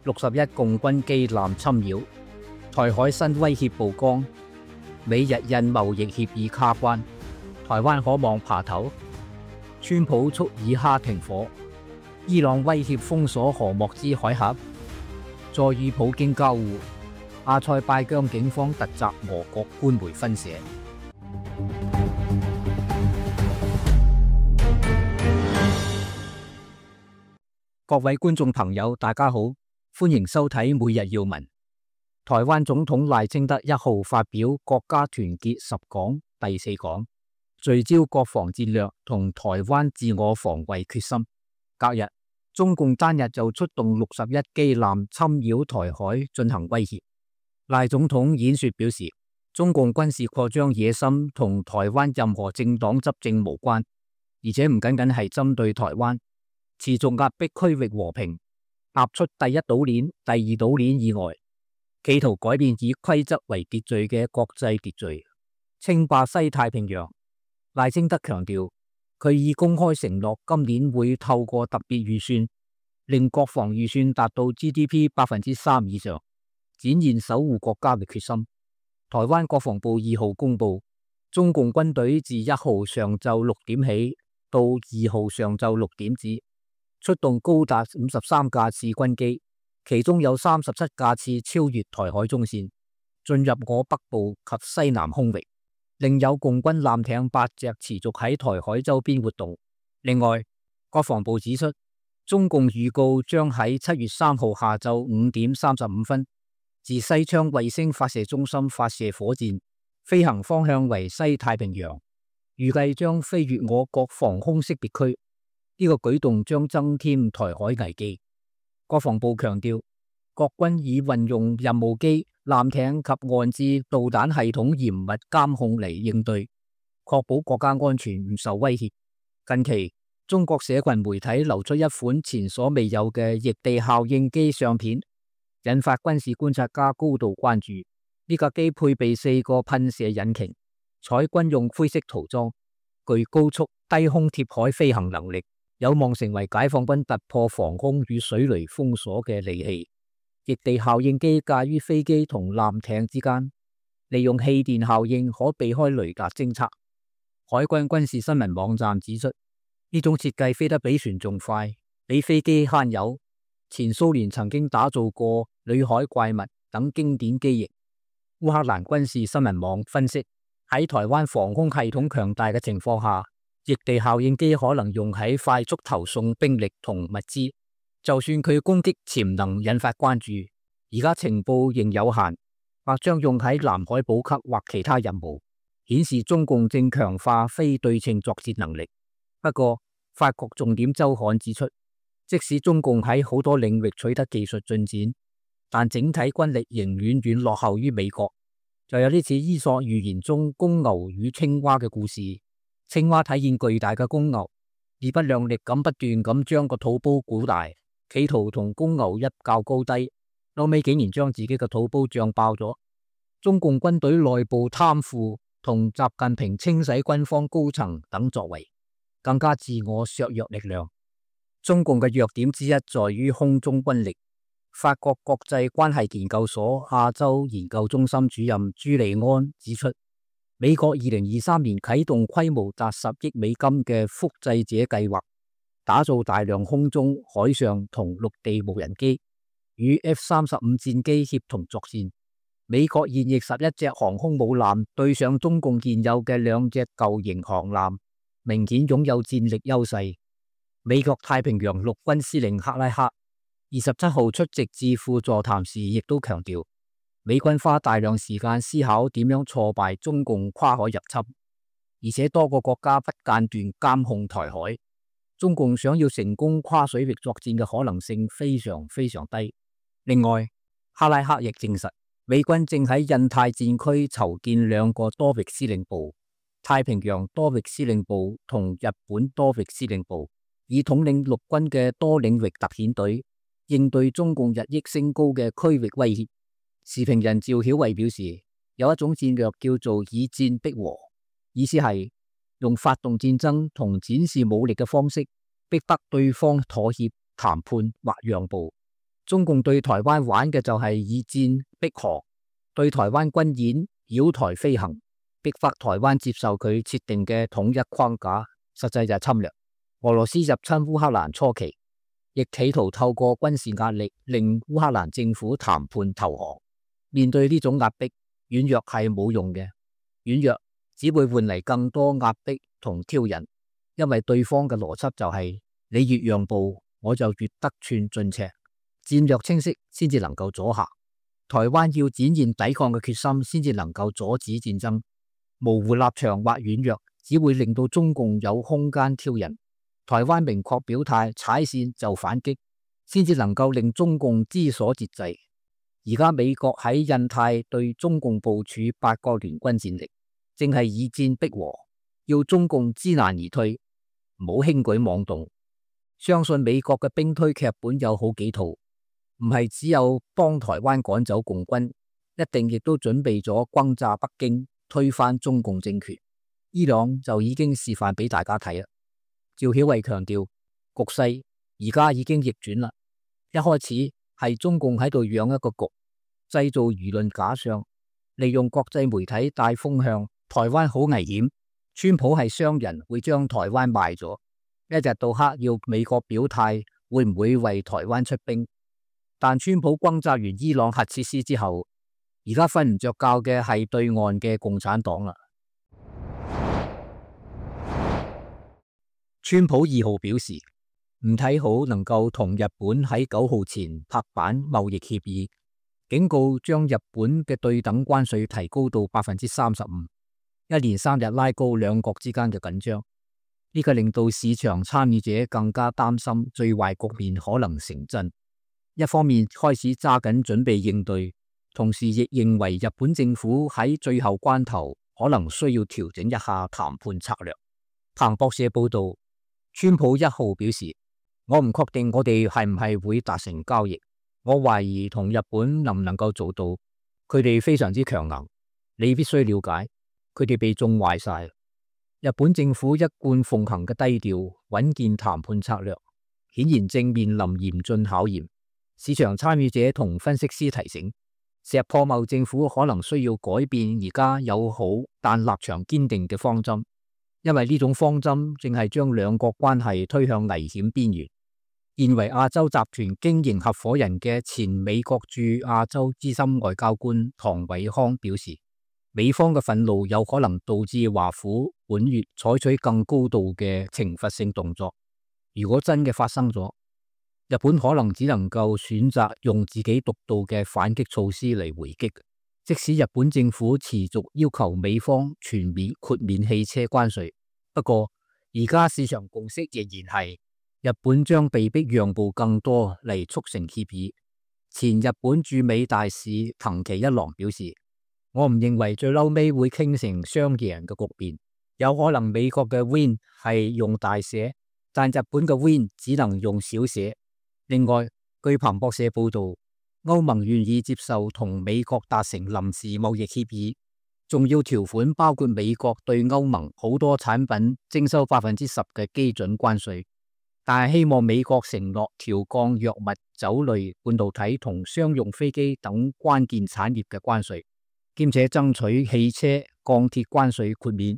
61共軍機艦侵擾，台海新威脅曝光，美日印貿易協議卡關，台灣可望爬頭。川普促以哈停火，伊朗威脅封鎖荷莫茲海峽，再與普京交惡。阿塞拜疆警方突襲俄國官媒分社。各位觀眾朋友，大家好，歡迎收睇每日要聞。台灣總統賴清德1號發表國家團結10講第4講，聚焦國防戰略同台灣自我防衛決心。隔日，中共單日就出動61機艦侵擾台海進行威脅。賴總統演說表示，中共軍事擴張野心同台灣任何政黨執政無關，而且唔僅僅係針對台灣，持續壓迫區域和平，踏出第一島鏈、第二島鏈以外，企圖改變以規則為秩序嘅國際秩序，稱霸西太平洋。賴清德強調，佢已公開承諾今年會透過特別預算，令國防預算達到 GDP 3% 以上，展現守護國家嘅決心。台灣國防部2號公布，中共軍隊自1號上晝6點起到2號上晝6點止，出動高達53架次軍機，其中有37架次超越台海中線，進入我北部及西南空域，另有共軍艦艇8隻持續喺台海周邊活動。另外，國防部指出，中共預告將喺7月3號下晝5點35分自西昌衛星發射中心發射火箭，飛行方向為西太平洋，預計將飛越我國防空識別區。呢個舉動將增添台海危機。國防部強調，國軍已運用任務機、艦艇及岸置導彈系統嚴密監控嚟應對，確保國家安全唔受威脅。近期，中國社群媒體流出一款前所未有嘅逆地效應機相片，引發軍事觀察家高度關注。呢架機配備4個噴射引擎，採軍用灰色塗裝，具高速低空貼海飛行能力，有望成為解放軍突破防空與水雷封鎖嘅利器。逆地效應機介於飛機同艦艇之間，利用氣電效應可避開雷達偵測。海軍軍事新聞網站指出，呢種設計飛得比船仲快，比飛機慳油。前蘇聯曾經打造過裏海怪物等經典機型。烏克蘭軍事新聞網分析，喺台灣防空系統強大嘅情況下，逆地效應機可能用喺快速投送兵力同物資。就算佢攻擊潛能引發關注，而家情報仍有限，或將用喺南海補給或其他任務，顯示中共正強化非對稱作戰能力。不過，法國重點週刊指出，即使中共喺好多領域取得技術進展，但整體軍力仍遠遠落後於美國。就有啲似伊索寓言中公牛與青蛙嘅故事。青蛙睇見巨大嘅公牛，自不量力咁不斷咁將個肚煲鼓大，企圖同公牛一較高低，後尾竟然將自己嘅肚煲脹爆咗。中共軍隊內部貪腐同習近平清洗軍方高層等作為，更加自我削弱力量。中共嘅弱點之一在於空中軍力。法國國際關係研究所亞洲研究中心主任朱利安指出，美國2023年啟動規模達10億美金嘅複製者計劃，打造大量空中、海上同陸地無人機，與 F-35戰機協同作戰。美國現役11隻航空母艦對上中共現有嘅2隻舊型航艦，明顯擁有戰力優勢。美國太平洋陸軍司令克拉克27號出席智庫座談時，亦都強調，美軍花大量時間思考點樣挫敗中共跨海入侵，而且多個國家不間斷監控台海。中共想要成功跨水域作戰嘅可能性非常非常低。另外，克拉克亦證實，美軍正喺印太戰區籌建2個多域司令部，太平洋多域司令部同日本多域司令部，以統領陸軍嘅多領域特遣隊，應對中共日益升高嘅區域威脅。時評人趙曉慧表示，有一種戰略叫做以戰逼和，意思係用發動戰爭同展示武力嘅方式，逼得對方妥協、談判或讓步。中共對台灣玩嘅就係以戰逼和，對台灣軍演、繞台飛行，逼迫台灣接受佢設定嘅統一框架，實際就係侵略。俄羅斯入侵烏克蘭初期，亦企圖透過軍事壓力令烏克蘭政府談判投降。面對呢種壓迫，軟弱係冇用嘅，軟弱只會換嚟更多壓迫同挑釁，因為對方嘅邏輯就係你越讓步，我就越得寸進尺。戰略清晰先至能夠阻嚇，台灣要展現抵抗嘅決心，先至能夠阻止戰爭。模糊立場或軟弱，只會令到中共有空間挑釁。台灣明確表態，踩線就反擊，先至能夠令中共知所節制。而家美國喺印太對中共部署8個聯軍戰力，正係以戰逼和，要中共知難而退，唔好輕舉妄動。相信美國嘅兵推劇本有好幾套。唔係只有幫台灣趕走共軍，一定亦都準備咗轟炸北京，推翻中共政權。伊朗就已經示範俾大家睇啦。趙曉慧強調，局勢而家已經逆轉啦。一開始係中共喺度養一個局，製造輿論假象，利用國際媒體帶風向，台灣好危險。川普係商人，會將台灣賣咗。一日到黑要美國表態，會唔會為台灣出兵？但川普轟炸完伊朗核設施之後，而家瞓唔着覺嘅係對岸嘅共產黨啦。川普2號表示唔睇好能夠同日本喺9號前拍板貿易協議，警告將日本嘅對等關稅提高到 35%， 一連3日拉高兩國之間嘅緊張。呢個令到市場參與者更加擔心最壞局面可能成真。一方面開始揸緊準備應對，同時亦認為日本政府喺最後關頭可能需要調整一下談判策略。彭博社報道，川普1號表示，我唔確定我哋係唔係會達成交易，我懷疑同日本能唔能夠做到，佢哋非常之強硬，你必須了解，佢哋被縱壞晒。日本政府一貫奉行嘅低調穩健談判策略，顯然正面臨嚴峻考驗。市場參與者同分析師提醒，石破茂政府可能需要改變而家友好但立場堅定嘅方針，因為呢種方針正係將兩國關係推向危險邊緣。現為亞洲集團經營合夥人嘅前美國駐亞洲資深外交官唐偉康表示，美方嘅憤怒有可能導致華府本月採取更高度嘅懲罰性動作。如果真嘅發生咗，日本可能只能夠選擇用自己獨到嘅反擊措施嚟回擊。即使日本政府持續要求美方全面豁免汽車關稅，不過而家市場共識仍然係日本將被迫讓步更多嚟促成協議。前日本駐美大使藤崎一郎表示，我唔認為最嬲尾會傾成雙贏嘅局面，有可能美國嘅 win 係用大寫，但日本嘅 win 只能用小寫。另外，據彭博社報道，歐盟願意接受同美國達成臨時貿易協議，重要條款包括美國對歐盟好多產品徵收 10% 嘅基準關稅，但係希望美國承諾調降藥物、酒類、半導體同商用飛機等關鍵產業嘅關稅，兼且爭取汽車、鋼鐵關稅豁免。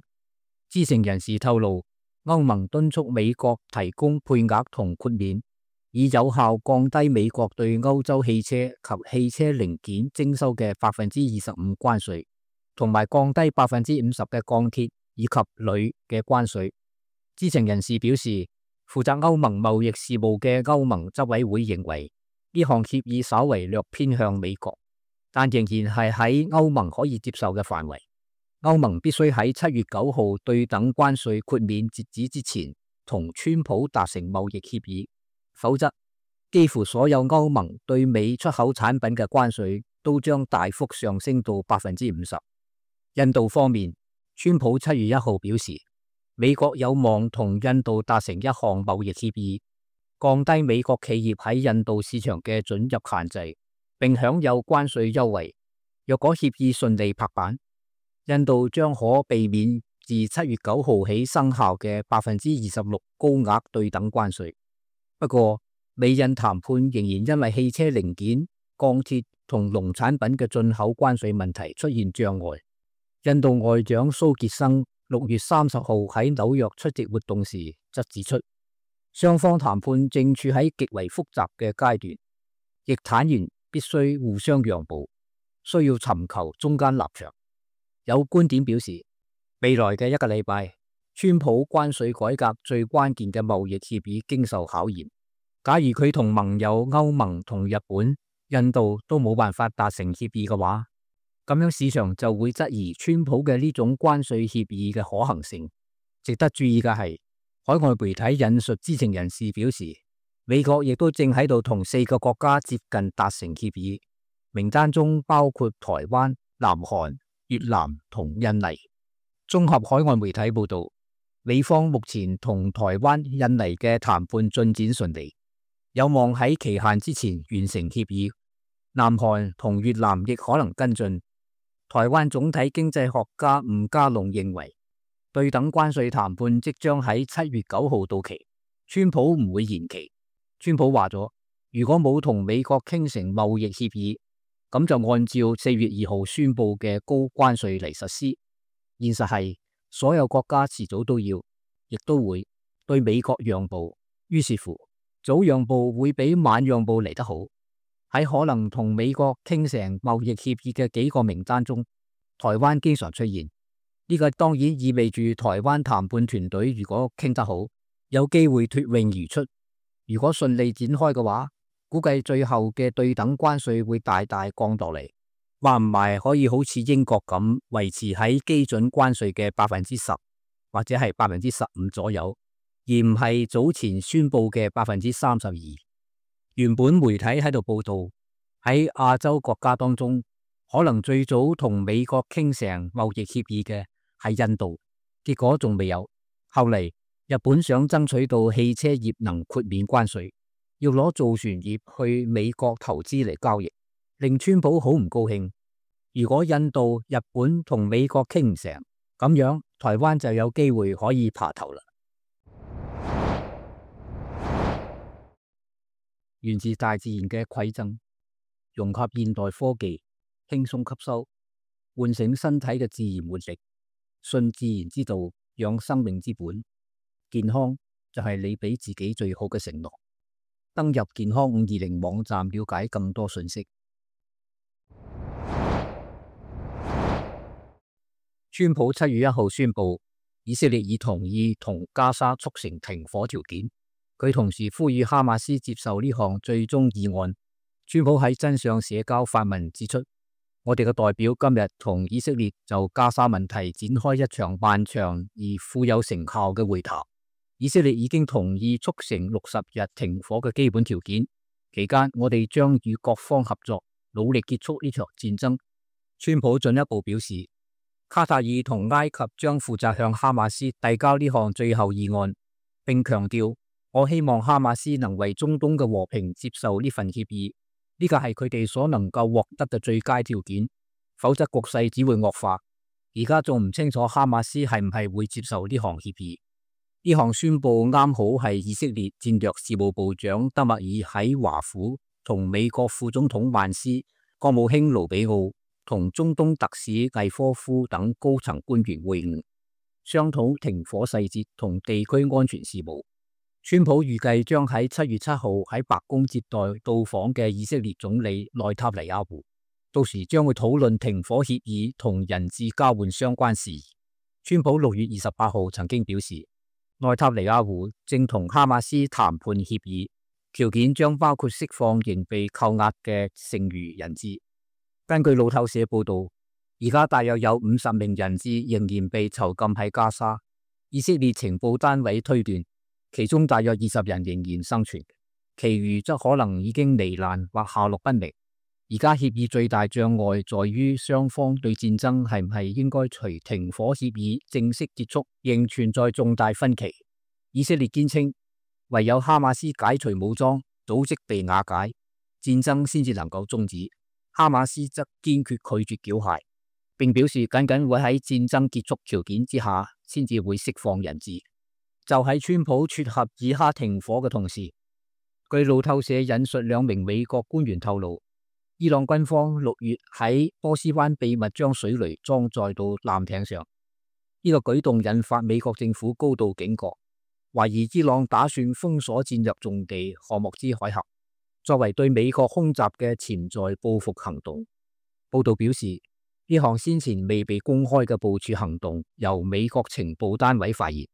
知情人士透露，歐盟敦促美國提供配額同豁免，以有效降低美國對歐洲汽車及汽車零件徵收嘅 25% 關稅，同埋降低 50% 嘅鋼鐵以及鋁嘅關稅。知情人士表示，負責歐盟貿易事務嘅歐盟執委會認為，呢項協議稍為略偏向美國，但仍然係喺歐盟可以接受嘅範圍。歐盟必須喺7月9號對等關稅豁免截止之前，同川普達成貿易協議。否則，幾乎所有歐盟對美出口產品嘅關稅都將大幅上升到 50%。印度方面，川普7月1號表示，美國有望同印度達成一項貿易協議，降低美國企業喺印度市場嘅准入限制，並享有關稅優惠。若果協議順利拍板，印度將可避免自7月9號起生效嘅 26% 高額對等關稅。不過，美印談判仍然因為汽車零件、鋼鐵同農產品嘅進口關稅問題出現障礙。印度外長蘇傑生6月30號喺紐約出席活動時則指出，雙方談判正處喺極為複雜嘅階段，亦坦言必須互相讓步，需要尋求中間立場。有觀點表示，未來嘅1個禮拜，川普關稅改革最關鍵嘅貿易協議經受考驗。假如佢同盟友歐盟同日本、印度都冇辦法達成協議嘅話，咁樣市場就會質疑川普嘅呢種關稅協議嘅可行性。值得注意嘅係，海外媒體引述知情人士表示，美國亦都正喺度同4個國家接近達成協議，名單中包括台灣、南韓、越南同印尼。綜合海外媒體報道，美方目前同台灣、印尼嘅談判進展順利，有望喺期限之前完成協議。南韓同越南亦可能跟進。台灣總體經濟學家吳家龍認為，對等關稅談判即將喺7月9號到期，川普唔會延期。川普話咗，如果冇同美國傾成貿易協議，咁就按照4月2號宣布嘅高關稅嚟實施。現實係，所有國家遲早都要，亦都會對美國讓步。於是乎，早讓步會比晚讓步嚟得好。喺可能同美國傾成貿易協議嘅幾個名單中，台灣經常出現。呢個當然意味住台灣談判團隊如果傾得好，有機會脫穎而出。如果順利展開嘅話，估計最後嘅對等關稅會大大降落嚟，話唔埋可以好似英國咁維持喺基準關稅嘅10%或者係15%左右，而唔係早前宣布嘅32%。原本媒體喺度報道，喺亞洲國家當中，可能最早同美國傾成貿易協議嘅係印度，結果仲未有。後嚟日本想爭取到汽車業能豁免關稅，要攞造船業去美國投資嚟交易，令川普好唔高興。如果印度、日本同美國傾唔成，咁樣台灣就有機會可以爬頭啦。源自大自然嘅饋贈，融合現代科技，輕鬆吸收，喚醒身體嘅自然活力，信自然之道，養生命之本。健康就係你俾自己最好嘅承諾。登入健康520網站了解更多信息。川普7月1號宣布，以色列已同意同加沙促成停火條件。佢同時呼籲哈馬斯接受呢項最終議案。川普喺真相社交發文指出，我哋嘅代表今日同以色列就加沙問題展開一場漫長而富有成效嘅會談。以色列已經同意促成60日停火嘅基本條件，期間我哋將與各方合作，努力結束呢場戰爭。川普進一步表示，卡塔爾同埃及將負責向哈馬斯遞交呢項最後議案，並強調，我希望哈馬斯能為中東嘅和平接受呢份協議，呢個係佢哋所能夠獲得嘅最佳條件，否則局勢只會惡化。而家仲唔清楚哈馬斯係唔係會接受呢項協議。呢項宣布啱好係以色列戰略事務部長德默爾喺華府同美國副總統萬斯、國務卿盧比奧同中東特使魏科夫等高層官員會晤，商討停火細節同地區安全事務。川普預計將喺7月7號喺白宮接待到訪嘅以色列總理內塔尼亞胡，到時將會討論停火協議同人質交換相關事宜。川普6月28號曾經表示，內塔尼亞胡正同哈馬斯談判協議，條件將包括釋放仍被扣押嘅剩餘人質。根據路透社報道，而家大約有50名人質仍然被囚禁喺加沙。以色列情報單位推斷，其中大約20人仍然生存，其餘則可能已經罹難或下落不明。而家協議最大障礙在於雙方對戰爭係唔係應該隨停火協議正式結束，仍存在重大分歧。以色列堅稱，唯有哈馬斯解除武裝，組織被瓦解，戰爭先至能夠終止。哈馬斯則堅決拒絕繳械，並表示僅僅會喺戰爭結束條件之下先至會釋放人質。就喺川普撮合以哈停火嘅同時，據路透社引述兩名美國官員透露，伊朗軍方6月喺波斯灣秘密將水雷裝載到艦艇上，呢個舉動引發美國政府高度警覺，懷疑伊朗打算封鎖戰略重地荷莫茲海峽，作為對美國空襲嘅潛在報復行動。報道表示，呢項先前未被公開嘅部署行動由美國情報單位發現，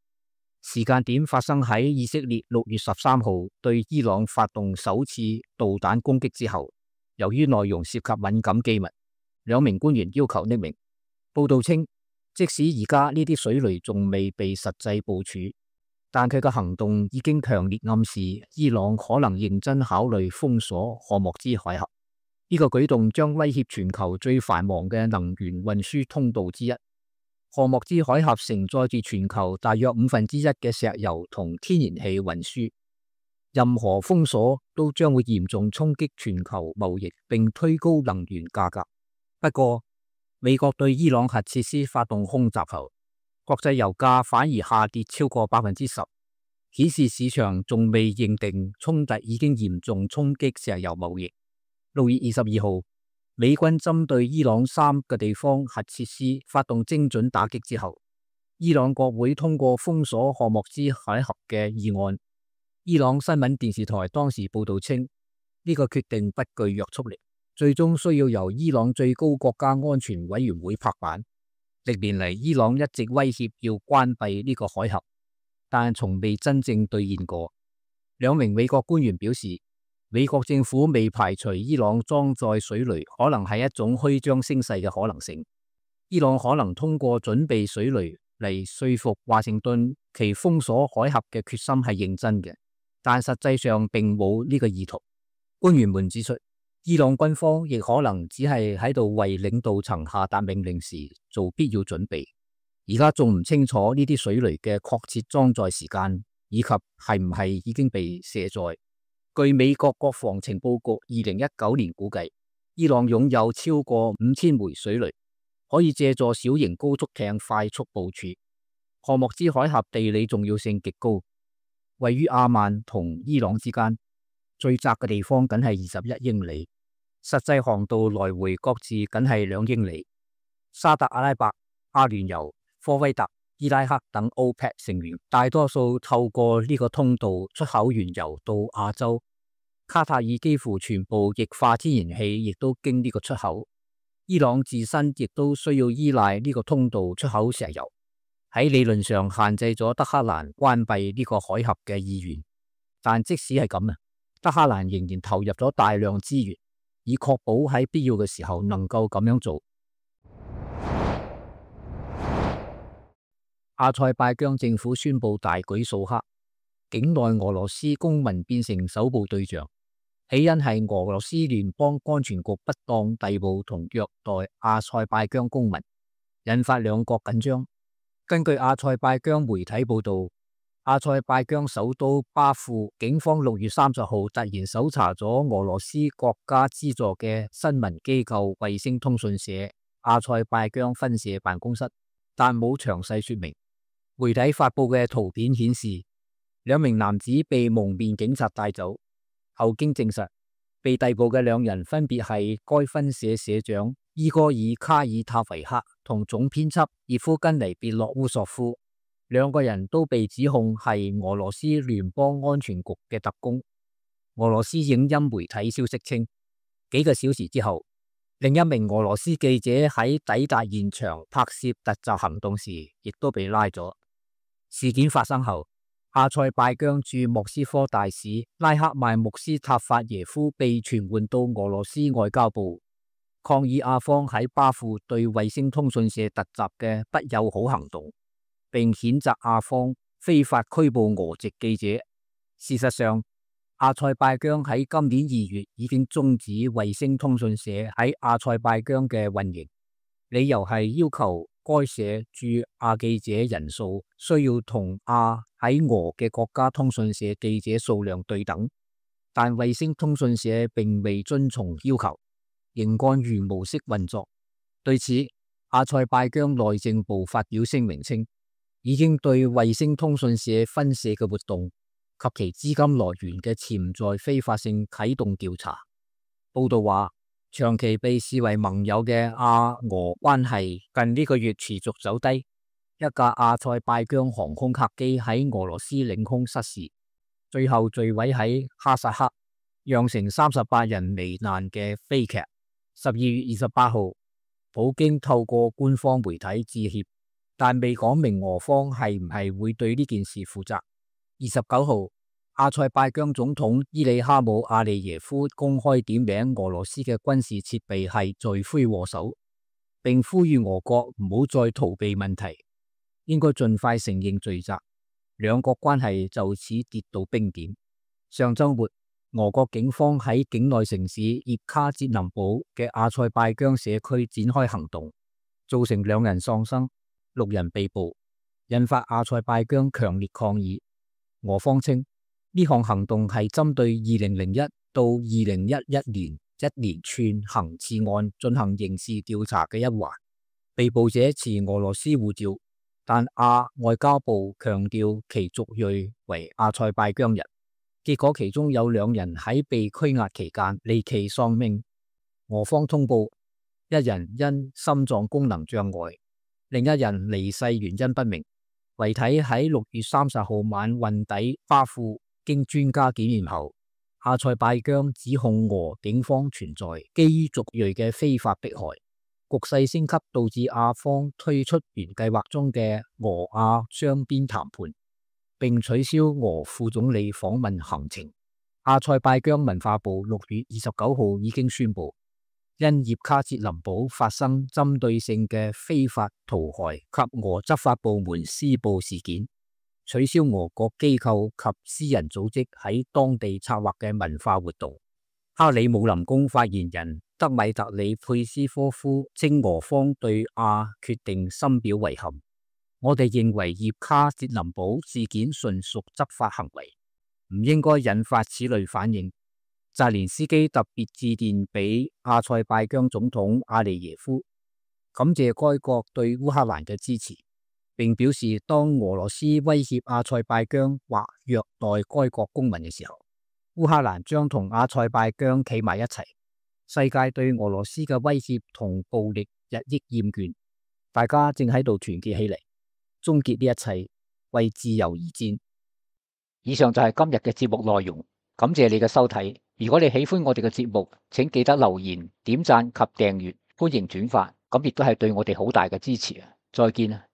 時間點發生喺以色列6月13號對伊朗發動首次導彈攻擊之後。由於內容涉及敏感機密，兩名官員要求匿名。報道稱，即使而家呢啲水雷仲未被實際部署，但佢嘅行動已經強烈暗示伊朗可能認真考慮封鎖荷莫茲海峽。呢個舉動將威脅全球最繁忙嘅能源運輸通道之一。荷莫茲海峽承載住全球大約1/5嘅石油同天然氣運輸。任何封鎖都將會嚴重衝擊全球貿易，並推高能源價格。不過，美國對伊朗核設施發動空襲後，國際油價反而下跌超過10%，顯示市場仲未認定衝突已經嚴重衝擊石油貿易。6月22號，美軍針對伊朗3個地方核設施發動精準打擊之後，伊朗國會通過封鎖荷莫茲海峽嘅議案。伊朗新聞電視台當時報道稱，呢個決定不具約束力，最終需要由伊朗最高國家安全委員會拍板。歷年嚟，伊朗一直威脅要關閉呢個海峽，但從未真正兌現過。兩名美國官員表示，美國政府未排除伊朗裝載水雷可能係一種虛張聲勢嘅可能性。伊朗可能通過準備水雷嚟說服華盛頓其封鎖海峽嘅決心係認真嘅。但實際上並冇呢個意圖。官員們指出，伊朗軍方亦可能只係喺度為領導層下達命令時做必要準備。而家仲唔清楚呢啲水雷嘅確切裝載時間，以及係唔係已經被卸載。據美國國防情報局2019年估計，伊朗擁有超過5000枚水雷，可以借助小型高速艇快速部署。荷莫茲海峽地理重要性極高。位於阿曼同伊朗之間，最窄嘅地方僅係21英里，實際航道來回各自僅係2英里。沙特阿拉伯、阿聯酋、科威特、伊拉克等 OPEC 成員大多數透過呢個通道出口原油到亞洲。卡塔爾幾乎全部液化天然氣亦都經呢個出口。伊朗自身亦都需要依賴呢個通道出口石油。喺理論上限制咗德黑蘭關閉呢個海峽嘅意願，但即使係咁，德黑蘭仍然投入咗大量資源，以確保喺必要嘅時候能夠咁樣做。阿塞拜疆政府宣布大舉掃黑，境內俄羅斯公民變成首部對象，起因係俄羅斯聯邦安全局不當逮捕同虐待阿塞拜疆公民，引發兩國緊張。根據阿塞拜疆媒體報道，阿塞拜疆首都巴庫警方6月30號突然搜查咗俄羅斯國家資助嘅新聞機構衛星通訊社阿塞拜疆分社辦公室，但冇詳細說明。媒體發布嘅圖片顯示，2名男子被蒙面警察帶走，後經證實，被逮捕嘅2人分別係該分社社長伊戈爾卡爾塔維克同總編輯葉夫根尼別洛烏索夫，2個人都被指控係俄羅斯聯邦安全局嘅特工。俄羅斯影音媒體消息稱，幾個小時之後，另一名俄羅斯記者喺抵達現場拍攝突襲行動時，亦都被拉咗。事件發生後，阿塞拜疆駐莫斯科大使拉克邁穆斯塔法耶夫被傳喚到俄羅斯外交部，抗議阿方喺巴庫對衛星通訊社突襲嘅不友好行動，並譴責阿方非法拘捕俄籍記者。事實上，阿塞拜疆喺今年2月已經終止衛星通訊社喺阿塞拜疆嘅運營，理由係要求該社駐阿記者人數需要同阿喺俄嘅國家通訊社記者數量對等，但衛星通訊社並未遵從要求，仍按原模式運作。對此，阿塞拜疆內政部發表聲明稱，已經對衛星通訊社分社嘅活動及其資金來源嘅潛在非法性啟動調查。報道話，長期被視為盟友嘅亞俄關係近呢個月持續走低。一架阿塞拜疆航空客機喺俄羅斯領空失事，最後墜毀喺哈薩克，釀成38人罹難嘅悲劇。12月28號，普京透過官方媒體致歉，但未講明俄方係唔係會對呢件事負責。29號，阿塞拜疆總統伊里哈姆阿利耶夫公開點名俄羅斯嘅軍事設備係罪魁禍首，並呼籲俄國唔好再逃避問題，應該盡快承認罪責。兩國關係就此跌到冰點。上週末，俄國警方喺境內城市葉卡捷林堡嘅阿塞拜疆社區展開行動，造成2人喪生、6人被捕，引發阿塞拜疆強烈抗議。俄方稱呢項行動係針對2001到2011年一連串行刺案進行刑事調查嘅一環。被捕者持俄羅斯護照，但外交部強調其族裔為阿塞拜疆人。結果其中有2人喺被拘押期間離奇喪命。俄方通報1人因心臟功能障礙，另1人離世原因不明。遺體喺6月30號晚運抵巴庫，經專家檢驗後，阿塞拜疆指控俄警方存在基於族裔嘅非法迫害。局勢升級導致阿方推出原計劃中嘅俄阿雙邊談判，並取消俄副總理訪問行程。阿塞拜疆文化部6月29號已經宣布，因葉卡捷林堡發生針對性嘅非法屠害及俄執法部門施暴事件，取消俄國機構及私人組織喺當地策劃嘅文化活動。克里姆林宮發言人德米特里佩斯科夫稱，俄方對決定深表遺憾。我哋認為葉卡捷林堡事件純屬執法行為，唔應該引發此類反應。澤連斯基特別致電俾阿塞拜疆總統阿利耶夫，感謝該國對烏克蘭嘅支持，並表示當俄羅斯威脅阿塞拜疆或虐待該國公民嘅時候，烏克蘭將同阿塞拜疆企埋一齊。世界對俄羅斯嘅威脅同暴力日益厭倦，大家正喺度團結起嚟，終結呢一切，為自由而戰。以上就係今日嘅節目內容，感謝你嘅收睇。如果你喜歡我哋嘅節目，請記得留言、點讚及訂閱，歡迎轉發，咁亦都係對我哋好大嘅支持啊！再見啊！